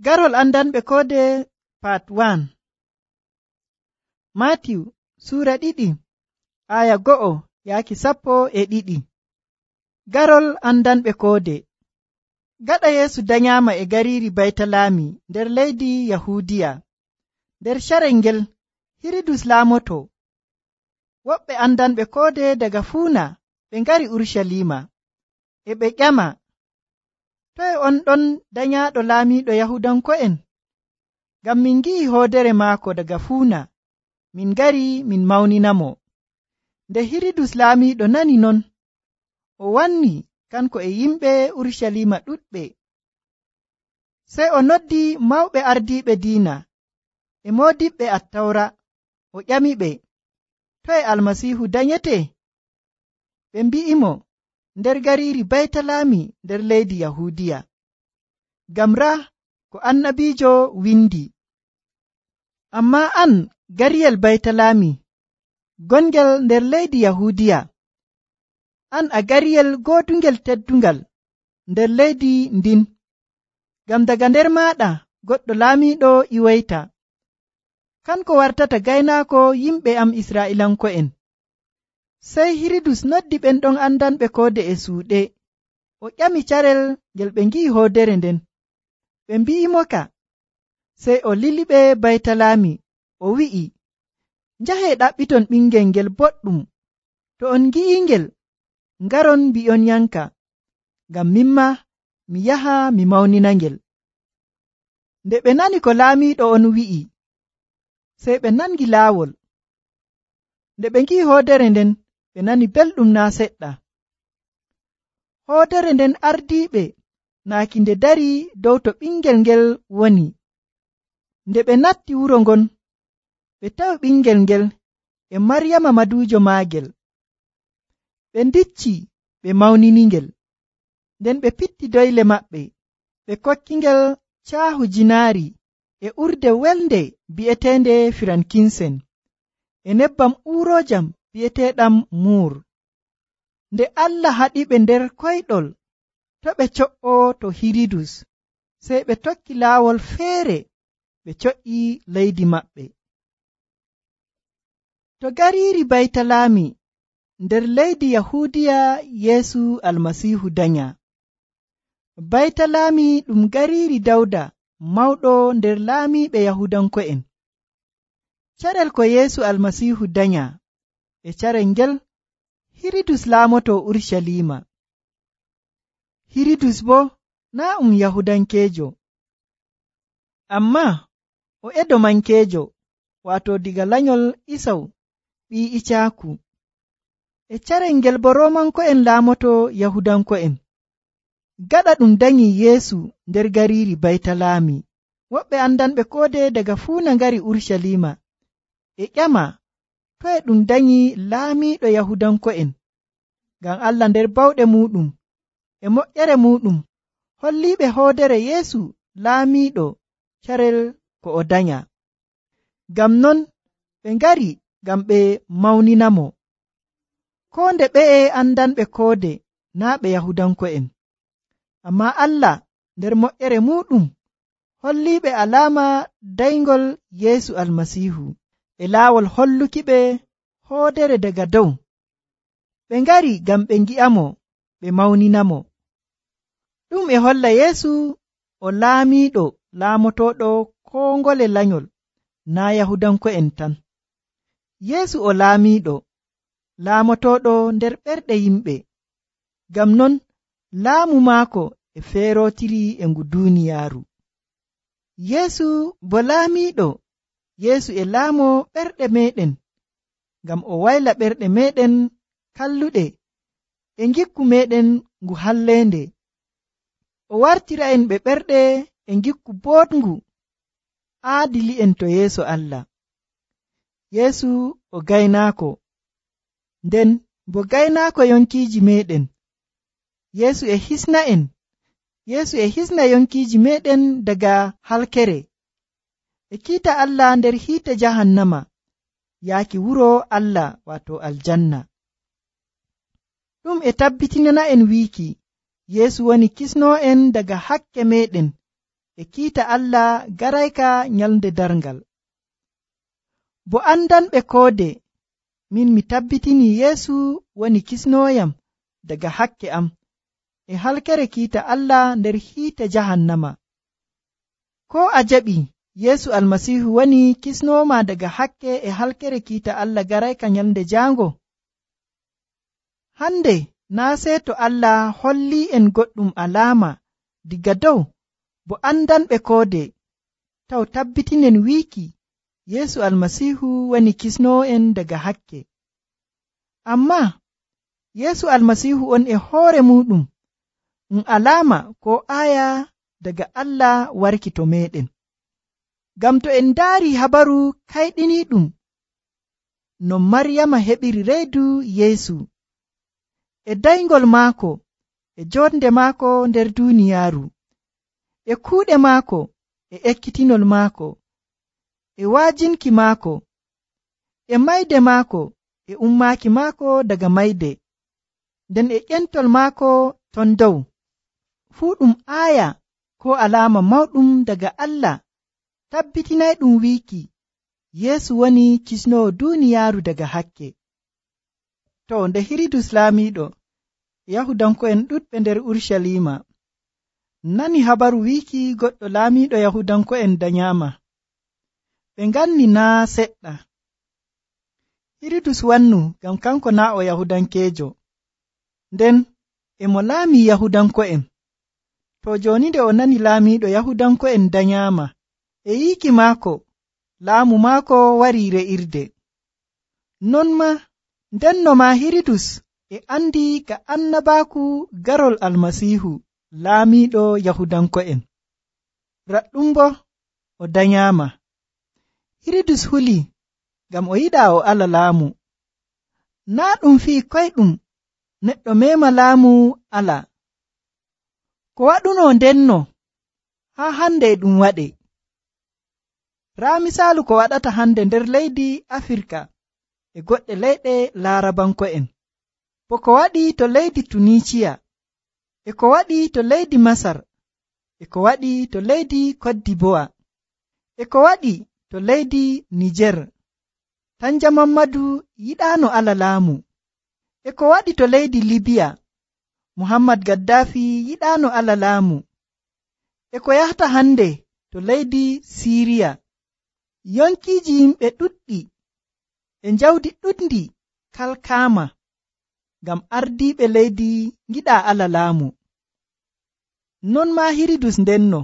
Garol andanɓe koode Part 1. Matiw Sura 2 aya 1 yaaki 12. Garol andanɓe koode. Gaɗa Yeesu danyaama e gariiri Baytalaami nder leydi Yahuudiya. Nder carel ngel Hirudus laamoto. Woɓɓe andanɓe koode daga fuuna ɓe ngari Urucaliima, e ɓe ƴama, toye on ɗon danyaaɗo laamiiɗo Yahuudanko'en? Ngam min ngi'i hoodere maako daga fuuna, min ngari min mawninamo. Nde Hirudus laamiiɗo nani non, o wanni kanko e yimɓe Urucaliima ɗuɗɓe. Sey o noddi mawɓe ardiiɓe diina e moodiɓɓe Attawra, o ƴamiɓe, toye Almasiihu danyete? Ɓe mbi'imo, nder gariiri Baytalaami nder leydi Yahuudiya. Ngam raa ko annabiijo windi, ammaa an gariyel Baytalaami gongel nder leydi Yahuudiya, an a gariyel goodungel teddungal nder leydi ndin, ngam daga nder maaɗa goɗɗo laamiiɗo iwoyta, kanko wartata gaynaako yimɓe am Israa'iilanko'en. Sey Hirudus noddi ɓen ɗon andanɓe koode e suuɗe, o ƴami carel ngel ɓe ngi'i hoodere nden. Ɓe mbi'imoka, sey o liliɓe Baytalaami, o wi'i, njahee ɗaɓɓiton ɓingel ngel boɗɗum, to on ngi'ingel, ngaron mbi'on yanka, ngam minma mi yaha mi mawninangel. Nde ɓe nani ko laamiiɗo on wi'i, sey ɓe nangi laawol. Nde ɓe ngi'i hoodere nden, ɓe nani belɗum naa seɗɗa. Hoodere nden ardiiɓe naaki nde dari dow to ɓingel ngel woni. Nde ɓe natti wuro ngon, ɓe tawi ɓingel ngel e Maryama maduujo maagel. Ɓe ndicci ɓe mawniningel. Nden ɓe pitti doyle maɓɓe, ɓe kokkingel caahu jinaari e urde welnde bi'eteende firankinsen, e nebbam uurojam bi'eteeɗam muur. Nde Allah haɗiɓe nder koyɗol to ɓe co'oo to Hirudus, sey ɓe tokki laawol feere ɓe co'ii leydi maɓɓe. To gariiri Baytalaami nder leydi Yahuudiya Yeesu Almasiihu danya. Baytalaami ɗum gariiri Dawda mawɗo nder laamiiɓe Yahuudanko'en. Carel ko Yeesu Almasiihu danya e carel ngel Hirudus laamoto Urucaliima. Hirudus boo naa Yahuudankeejo, ammaa o Edomankeejo, waato diga lanyol Isaw ɓii Icaaku. E carel ngel bo Roomanko'en laamoto Yahuudanko'en. Gaɗa ɗum danyi Yeesu nder gariiri Baytalaami, woɓɓe andanɓe koode daga fuuna ngari Urucaliima, e ƴama, toye ɗum danyi laamiiɗo Yahuudanko'en? Ngam Allah nder bawɗe muuɗum e moƴƴere muuɗum holliiɓe hoodere Yeesu laamiiɗo carel ko o danya. Ngam non ɓe ngari ngam ɓe mawninamo. Koo nde ɓe'e andanɓe koode naa ɓe Yahuudanko'en, ammaa Allah nder moƴƴere muuɗum holliiɓe alaama dayngol Yeesu Almasiihu e laawol hollukiɓe hoodere daga dow. Ɓe ngari ngam ɓe ngi'amo, ɓe mawninamo. Ɗum e holla Yeesu o laamiiɗo laamotooɗo koo ngole lanyol, naa Yahuudanko'en tan. Yeesu o laamiiɗo laamotooɗo nder ɓerɗe yimɓe. Ngam non laamu maako e feerootiri e ngu duuniyaaru. Yeesu bo laamiiɗo, Yeesu e laamo ɓerɗe meeɗen, ngam o wayla ɓerɗe meeɗen kalluɗe e ngikku meeɗen ngu halleende. O wartira'en ɓe ɓerɗe e ngikku boɗngu aadili'en to yeeso Allah. Yeesu o gaynaako, nden bo gaynaako yonkiiji meeɗen. Yeesu e hisna'en. Yeesu e hisna yonkiiji meeɗen daga halkere, e kiita Allah nder hiite jahannama, yaaki wuro Allah waato aljanna. Ɗum e tabbitinana'en wiiki Yeesu woni kisnoo'en daga hakke meeɗen e kiita Allah garayka nyalnde darngal. Bo andanɓe koode, min mi tabbitini Yeesu woni kisnooyam daga hakke am e halkere kiita Allah nder hiite jahannama. Ko a jaɓi Yeesu Almasiihu woni kisnooma daga hakke e halkere kiita Allah garayka nyalnde jaango? Hande naa seeto Allah holli en goɗɗum alaama diga dow bo andanɓe koode taw tabbitinen wiiki Yeesu Almasiihu woni kisnoo'en daga hakke. Ammaa Yeesu Almasiihu on e hoore muɗum alaama ko aaya daga Allah warki to meɗen. Ngam to en ndaari habaru kayɗiniiɗum no Maryama heɓiri reedu Yeesu e dayngol maako e jonde maako nder duuniyaaru e kuuɗe maako e ekkitinol maako e waajinki maako e mayde maako e ummaaki maako daga mayde nden e ƴentol maako ton dow, fuu ɗum aaya ko alaama mawɗum daga Allah tabbitinayɗum wiiki Yeesu woni kisnoowo duuniyaaru daga hakke. To nde Hiridus laamiiɗo Yahudanko'en ɗuɗɓe nder Urshalima nani habaru wiiki goɗɗo laamiiɗo Yahudanko'en danyaama, ɓe nganni naa seɗɗa. Hiridus wannu ngam kanko naa o Yahudankeejo, nden e mo laami Yahudanko'en. To jooni nde o nani laamiiɗo Yahudanko'en danyaama, e yiiki maako laamu maako warii re'irde. Non maa ndenno maa Hiridus e andi ka annabaaku garol Almasiihu laamiiɗo Yahudanko'en. Raɗɗum bo o danyaama. Hiridus huli ngam o yiɗaa o ala laamu. Naa ɗum fii koyɗum neɗɗo meema laamu ala. Ko waɗuno ndenno haa hande e ɗum waɗe. Raa misaalu ko waɗata hande nder leydi Afirka e goɗɗe leyɗe Laarabanko'en, bo ko waɗi to leydi Tunisiya, e ko waɗi to leydi Masar, e ko waɗi to leydi Koddibowa, e ko waɗi to leydi Nijer. Tanja Mammadu yiɗaano ala laamu. E ko waɗi to leydi Libiya, Muhammad Gaddafi yiɗaano ala laamu. E ko yahata hande to leydi Siriya, yonkiiji yimɓe ɗuɗɗi e njawdi ɗuɗndi kalkaama ngam ardiiɓe leydi ngiɗaa ala laamu. Non maa Hiridus ndenno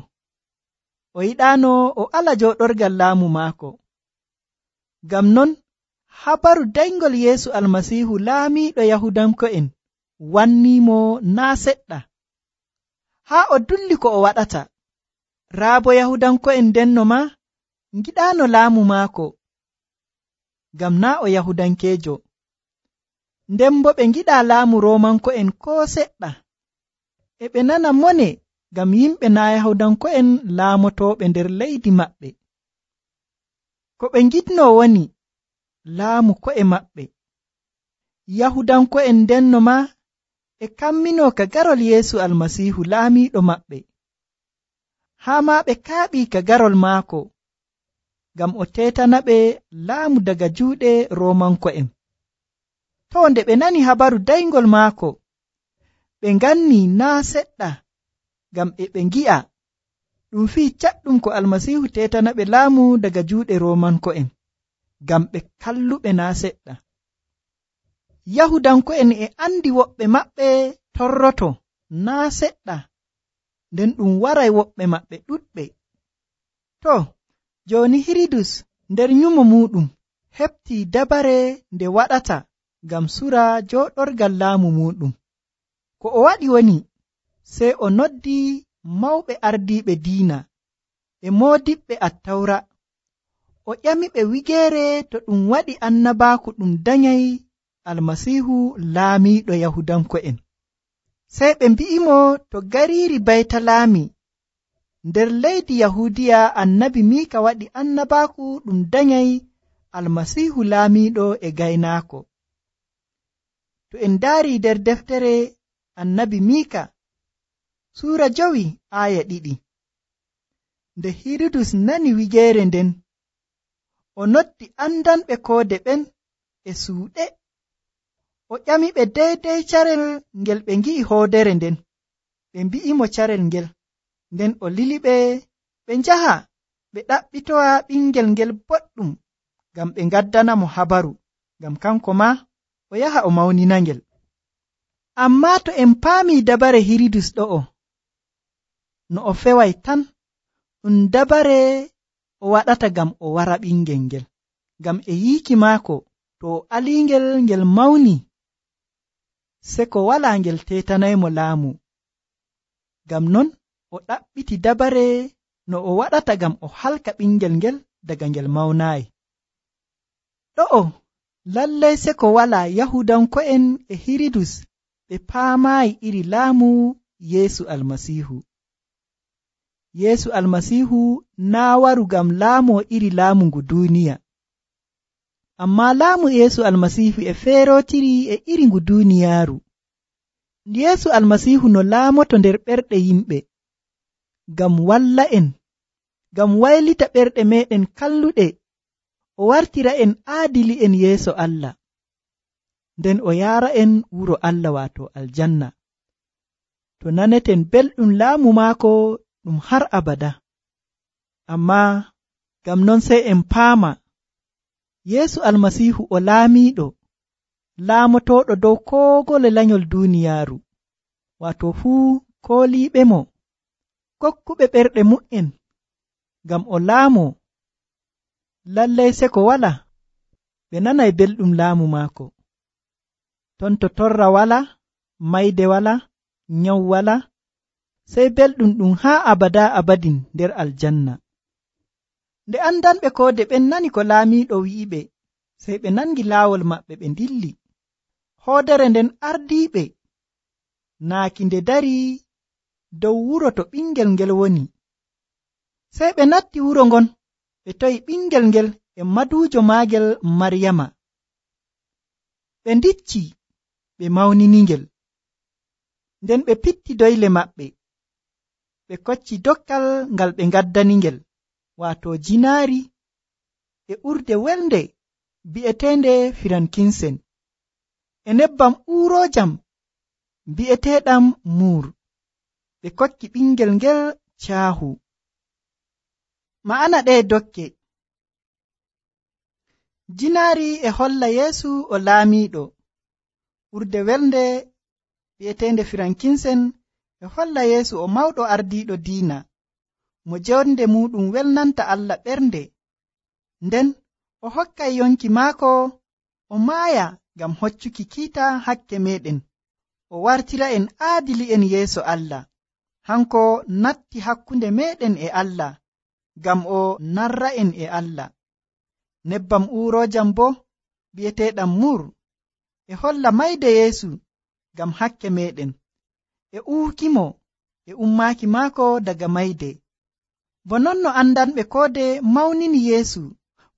o yiɗaano o ala jooɗorgal laamu maako. Ngam non habaru dayngol Yeesu Almasiihu laamiiɗo Yahudanko'en wanniimo naa seɗɗa, haa o dulli ko o waɗata. Raa bo Yahudanko'en ndenno maa ngiɗaano laamu maako, ngam naa o Yahudankeejo. Nden bo ɓe ngiɗaa laamu Roomanko'en koo seɗɗa, e ɓe nana mone ngam yimɓe naa Yahudanko'en laamotooɓe nder leydi maɓɓe. Ko ɓe ngiɗnoo woni laamu ko'e maɓɓe. Yahudanko'en ndenno maa e kamminoo ka garol Yeesu Almasiihu laamiiɗo maɓɓe, haa maa ɓe kaaɓii ka garol maako ngam o teetana ɓe laamu daga juuɗe Roomanko'en. To nde ɓe nani habaru dayngol maako, ɓe nganni naa seɗɗa ngam e ɓe ngi'a ɗum fii caɗɗum ko Almasiihu teetana ɓe laamu daga juuɗe Roomanko'en, ngam ɓe kalluɓe naa seɗɗa. Yahudanko'en e andi woɓɓe maɓɓe torroto naa seɗɗa, nden ɗum waray woɓɓe maɓɓe ɗuɗɓe. To, jooni Hiridus nder nyumo muɗum heɓtii dabare nde waɗata ngam sura jooɗorgal laamu muɗum. Ko o waɗi woni sey o noddi mawɓe ardiiɓe diina e moodiɓɓe Attawra, o ƴamiɓe wigeere to ɗum waɗi annabaaku ɗum danyay Almasiihu laamiiɗo Yahudanko'en. Sey ɓe mbi'imo to gariiri Baytalaami nder leydi Yahuudiya annabi Miika waɗi annabaaku ɗum danyay Almasiihu laamiiɗo e gaynaako. To en ndaari nder deftere annabi Miika suura 5 aaya 2, Nde Hiridus nani wigeere nden, o noddi andanɓe koode ɓen e suuɗe. O ƴamiɓe deydey carel ngel ɓe ngi'i hoodere nden. Ɓe mbi'imo carel ngel, nden o liliɓe ɓe njaha ɓe ɗaɓɓitowa ɓingel ngel boɗɗum ngam ɓe ngaddanamo habaru, ngam kanko ma o yaha o mawninangel. Ammaa to en paamii dabare Hiridus ɗo'o, no o feway tan ɗum dabare o waɗata ngam o wara ɓingel ngel, ngam e yiiki maako to o aliingel ngel mawni, se ko walaa ngel teetanaymo laamu. Ngam non o ɗaɓɓiti dabare no o waɗata ngam o halka ɓingel ngel daga ngel mawnaayi. Ɗo'o lallay se ko walaa Yahudanko'en e Hiridus ɓe paamaayi iri laamu Yeesu Almasiihu. Yeesu Almasiihu naa waru ngam laamoo iri laamu ngu duuniya, ammaa laamu Yeesu Almasiihu e feerootiri e iri ngu duuniyaaru. Yeesu Almasiihu no laamoto nder ɓerɗe yimɓe, ngam walla en, ngam waylita ɓerɗe meeɗen kalluɗe, o wartira en aadili'en yeeso Allah, nden o yaara en wuro Allah waato aljanna, to naneten belɗum laamu maako ɗum har abada. Ammaa ngam non sey en paama Yeesu Almasiihu o laamiiɗo, laamotooɗo dow koogole lanyol duuniyaaru, waato fuu kooliiɓe mo, kokkuɓe ɓerɗe mu'en, ngam o laamoo. Lallay se ko wala ɓe nanay belɗum laamu maako. Ton to torra wala, mayde wala, nyaw wala, sey belɗum ɗum haa abada abadin nder aljanna. Nde andanɓe koode ɓen nani ko laamiiɗo wi'iɓe, sey ɓe nangi laawol maɓɓe ɓe ndilli. Hoodere nden ardiiɓe naaki nde darii dow wuro to ɓingel ngel woni. Sey ɓe natti wuro ngon, ɓe tawi ɓingel ngel e maduujo maagel Maryama. Ɓe ndicci ɓe mawniningel. Nden ɓe pitti doyle maɓɓe, ɓe kocci dokkal ngal ɓe ngaddaningel, waato jinaari e urde welnde bi'eteende firankinsen, e nebbam uuroojam bi'eteeɗam muur. Ɓe kokki ɓingel ngel caahu. Ma'ana ɗee dokke. Jinaari e holla Yeesu o laamiiɗo. Urde welnde bi'eteende firankinsen e holla Yeesu o mawɗo ardiiɗo diina, mo jonde muɗum welnanta Allah ɓernde. Nden o hokkay yonki maako o maaya ngam hoccuki kiita hakke meɗen, o wartira en aadili'en yeeso Allah. Hanko natti hakkunde meɗen e Allah, ngam o narra'en e Allah. Nebbam uuroojam bo bi'eteeɗam mur e holla mayde Yeesu ngam hakke meɗen, e uukimo e ummaaki maako daga mayde. Bo non no andanɓe koode mawnini Yeesu,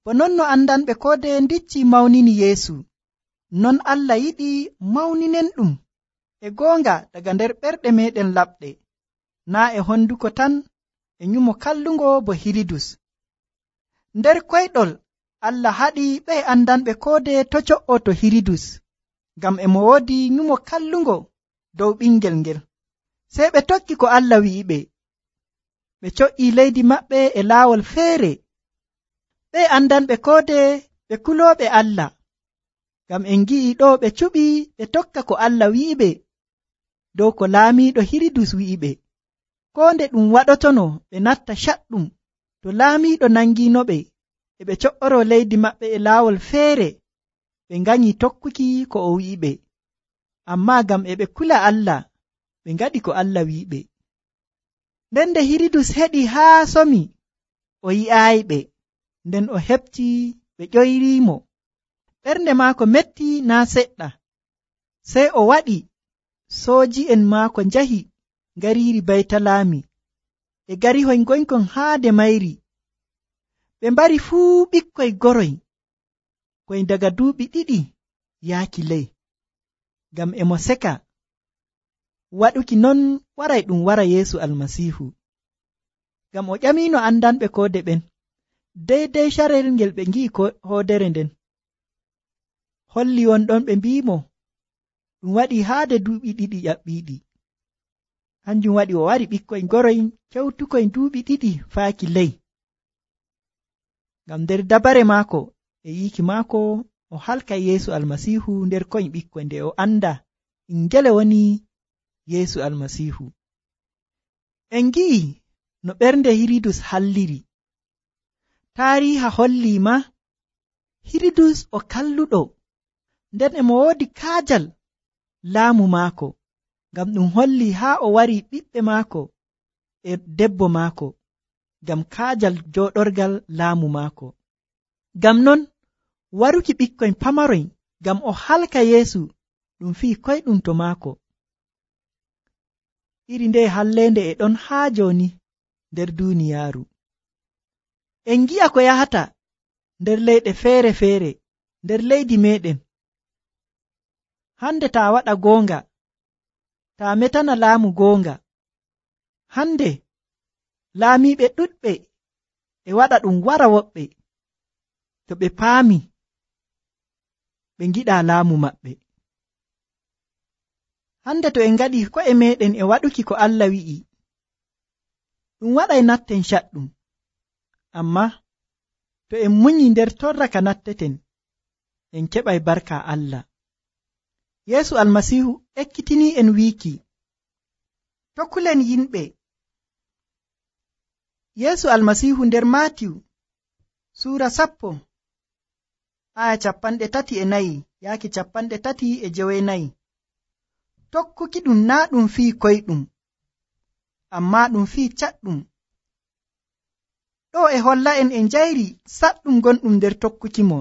bo non no andanɓe koode ndicci mawnini Yeesu, non Allah yiɗi mawninen ɗum e goonga daga nder ɓerɗe meɗen laɓɗe, naa e honduko tan e nyumo kallungo bo Hiridus. Nder koyɗol Allah haɗi ɓe andanɓe koode to co'oto Hiridus, ngam e mo woodi nyumo kallungo dow ɓingel ngel. Sey ɓe tokki ko Allah wi'iɓe, ɓe co'ii leydi maɓɓe e laawol feere. Ɓe andanɓe koode ɓe kulooɓe Allah, ngam en ngi'i ɗo ɓe cuɓi ɓe tokka ko Allah wi'iɓe dow ko laamiiɗo Hiridus wi'iɓe. Koo nde ɗum waɗotono ɓe natta caɗɗum, to laamiiɗo nangiinoɓe e ɓe co'oro leydi maɓɓe e laawol feere, ɓe nganyii tokkuki ko o wi'iɓe. Ammaa ngam e ɓe kula Allah, ɓe ngaɗi ko Allah wi'iɓe. Nden nde Hiridus heɗi haa somi, o yi'aayiɓe, nden o heɓti ɓe ƴoyriimo. Ɓernde maako metti naa seɗɗa. Sey o waɗi sooji'en maako njahi ngariiri Baytalaami e garihoy ngoykon haade mayri. Ɓe mbari fuu ɓikkoy goroy koy daga duuɓi 2 yaaki ley, ngam e mo seka waɗuki non waray ɗum wara Yeesu Almasiihu. ngam o ƴamino andanɓe koode ɓen deydey carel ngel ɓe ngi'i hoodere nden. Holli wonɗon ɓe mbi'imo ɗum waɗi haade duuɓi 2 ƴaɓɓiiɗi. Hanjum waɗi o wari ɓikkoy ngoroy kewtukoy duuɓi 2 faaki ley. Ngam nder dabare maako e yiiki maako o halkay Yeesu Almasiihu nder koy ɓikkoy nde o anda ngele woni Yeesu Almasiihu. En ngi'i no ɓernde Hiridus halliri. Taariiha holli ma Hiridus o kalluɗo, nden e mo woodi kaajal laamu maako, ngam ɗum holli haa o wari ɓiɓɓe maako e debbo maako ngam kaajal jooɗorgal laamu maako. Ngam non waruki ɓikkoy pamaroy ngam o halka Yeesu ɗum fii koyɗum to maako. Iri nde halleende e ɗon haa jooni nder duuniyaaru. En ngi'a ko yahata nder leyɗe feere-feere nder leydi meɗen. Hande taa waɗa goonga, taa metana laamu goonga. Hande laamiiɓe ɗuɗɓe e waɗa ɗum wara woɓɓe to ɓe paami ɓe ngiɗaa laamu maɓɓe. Hande to en ngaɗi ko'e meɗen e waɗuki ko Allah wi'i, ɗum waɗay natten caɗɗum. Amma to en munyi nder torra ka natteten, en keɓay barka Allah. Yeesu Almasiihu ekkitinii en wiiki, tokkulen yimɓe. Yeesu Almasiihu nder Maatiyu suura 10 aya 34 yaaki 34. Tokkuki ɗum naa ɗum fii koyɗum, ammaa ɗum fii caɗɗum. Ɗo e holla en e njayri saɗɗum gonɗum nder tokkuki mo.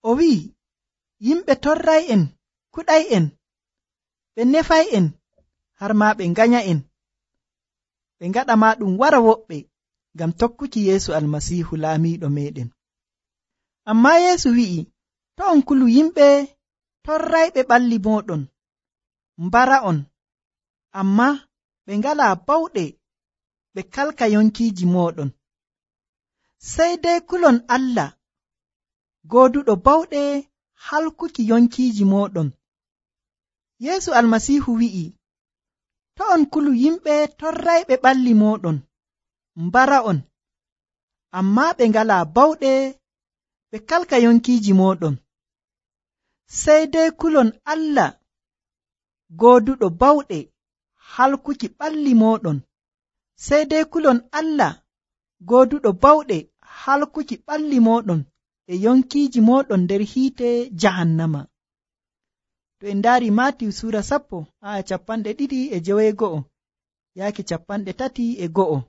O wi'i, yimɓe torray en, kuɗay en, ɓe nefay en, har maa ɓe nganya en, ɓe ngaɗa maa ɗum wara woɓɓe ngam tokkuki Yeesu Almasiihu laamiiɗo meɗen. Ammaa Yeesu wi'i, to on kulu yimɓe torrayɓe ɓalli mooɗon, mbara'on, ammaa ɓe ngalaa bawɗe ɓe kalka yonkiiji mooɗon. Sey dey kulon Allah, gooduɗo bawɗe halkuki yonkiiji mooɗon. Yeesu Almasiihu wi'i, to on kulu yimɓe torrayɓe ɓalli mooɗon, mbara'on, ammaa ɓe ngalaa bawɗe ɓe kalka yonkiiji mooɗon. Sey dey kulon Allah, gooduɗo bawɗe halkuki ɓalli mooɗon. Sey dey kulon Allah, gooduɗo bawɗe halkuki ɓalli mooɗon e yonkiiji mooɗon nder hiite jahannama. To en ndaari Maatiyu suura 10 aya 22 yaaki 33.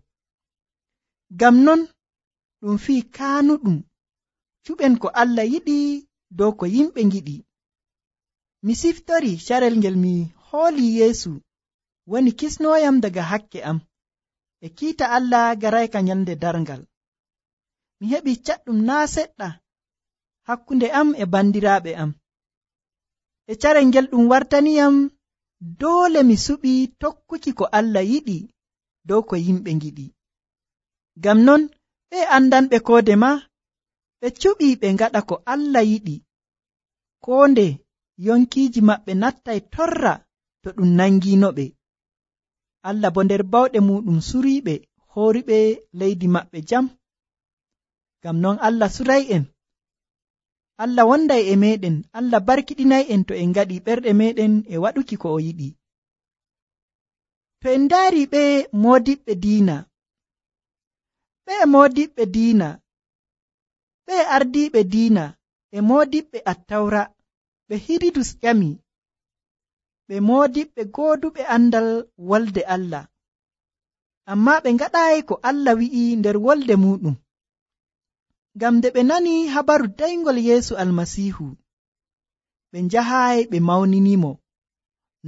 Ngam non ɗum fii kaanuɗum cuɓen ko Allah yiɗi dow ko yimɓe ngiɗi. Mi siftori carel ngel mi hooli Yeesu woni kisnooyam daga hakke am e kiita Allah garayka nyalnde darngal. Mi heɓi caɗɗum naa seɗɗa hakkunde am e bandiraaɓe am. E carel ngel ɗum wartaniyam doole mi suɓi tokkuki ko Allah yiɗi dow ko yimɓe ngiɗi. Ngam non ɓe andanɓe koode ma ɓe cuɓi ɓe ngaɗa ko Allah yiɗi, koo nde yonkiiji maɓɓe nattay torra to ɗum nangiinoɓe. Allah bo nder bawɗe muɗum suriiɓe hooriɓe leydi maɓɓe jam. Ngam non Allah suray'en, Allah wonday e meɗen, Allah barkiɗinay'en to en ngaɗi ɓerɗe meɗen e waɗuki ko o yiɗi. To en ndaari ɓe moodiɓɓe diina, ɓe moodiɓɓe diina, ɓe ardiiɓe diina e moodiɓɓe attawra ɓe Hiridus ƴami, ɓe moodiɓɓe gooduɓe andal wolde Allah, ammaa ɓe ngaɗaayi ko Allah wi'i nder wolde muɗum. Ngam nde ɓe nani habaru dayngol Yeesu Almasiihu, ɓe njahaayi ɓe mawninimo,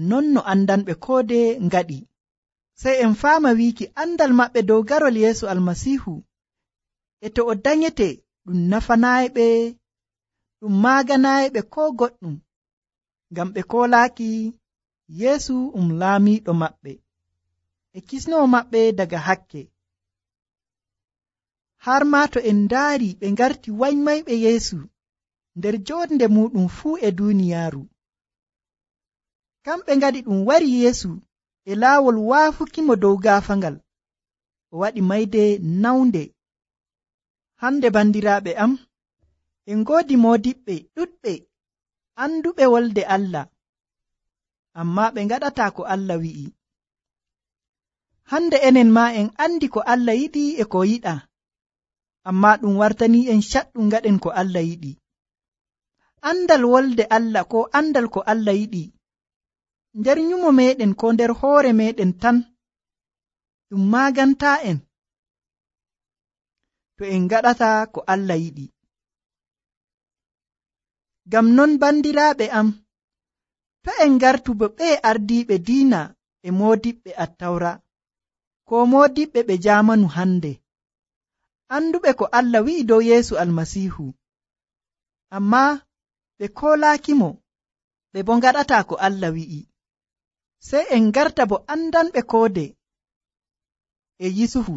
non no andanɓe koode ngaɗi. Sey en faama wiiki andal maɓɓe dow garol Yeesu Almasiihu e to o danyete ɗum nafanaayiɓe, ɗum maaganaayiɓe koo goɗɗum, ngam ɓe koolaaki Yeesu laamiiɗo maɓɓe. e kisnowo maɓɓe daga hakke. Har maa to en ndaari ɓe ngarti wanymayɓe Yeesu nder joonde muɗum fuu e duuniyaaru. Kamɓe ngaɗi ɗum wari Yeesu e laawol waafukimo dow gaafangal, o waɗi mayde nawnde. Hande bandiraaɓe am, en ngoodi moodiɓɓe ɗuɗɓe anduɓe wolde Allah, ammaa ɓe ngaɗataa ko Allah wi'i. Hande enen maa en andi ko Allah yiɗi e ko yiɗaa, ammaa ɗum wartanii en caɗɗum ngaɗen ko Allah yiɗi. Andal wolde Allah ko andal ko Allah yiɗi nder nyumo meɗen ko nder hoore meɗen tan ɗum maagantaa en to en ngaɗataa ko Allah yiɗi. Ngam non bandiraaɓe am, to en ngartu bo ɓe ardiiɓe diina e moodiɓɓe Attawra ko moodiɓɓe ɓe jaamanu hande, anduɓe ko Allah wi'i dow Yeesu Almasiihu, ammaa ɓe koolaakimo, ɓe bo ngaɗataa ko Allah wi'i. Sey en ngarta bo andanɓe koode e Yusufu,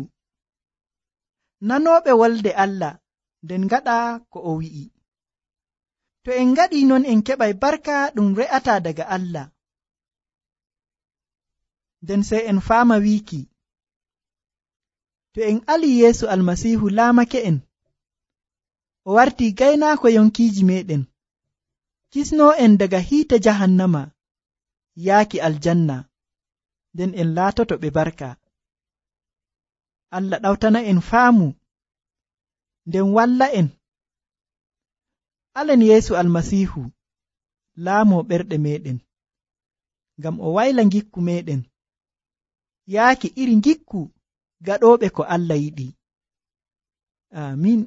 nanooɓe wolde Allah nden ngaɗa ko o wi'i. To en ngaɗii non en keɓay barka ɗum re'ataa daga Allah. Nden sey en faama wiiki, to en alii Yeesu Almasiihu laamake en, o wartii gaynaako yonkiiji meɗen, kisnoo en daga hiite jahannama yaaki aljanna, nden en laatoto ɓe barka. Allah ɗawtana en faamu, nden walla en. Alen Yeesu Almasiihu laamoo ɓerɗe meɗen, ngam o wayla ngikku meɗen yaaki iri ngikku gaɗooɓe ko Allah yiɗi. Aamin.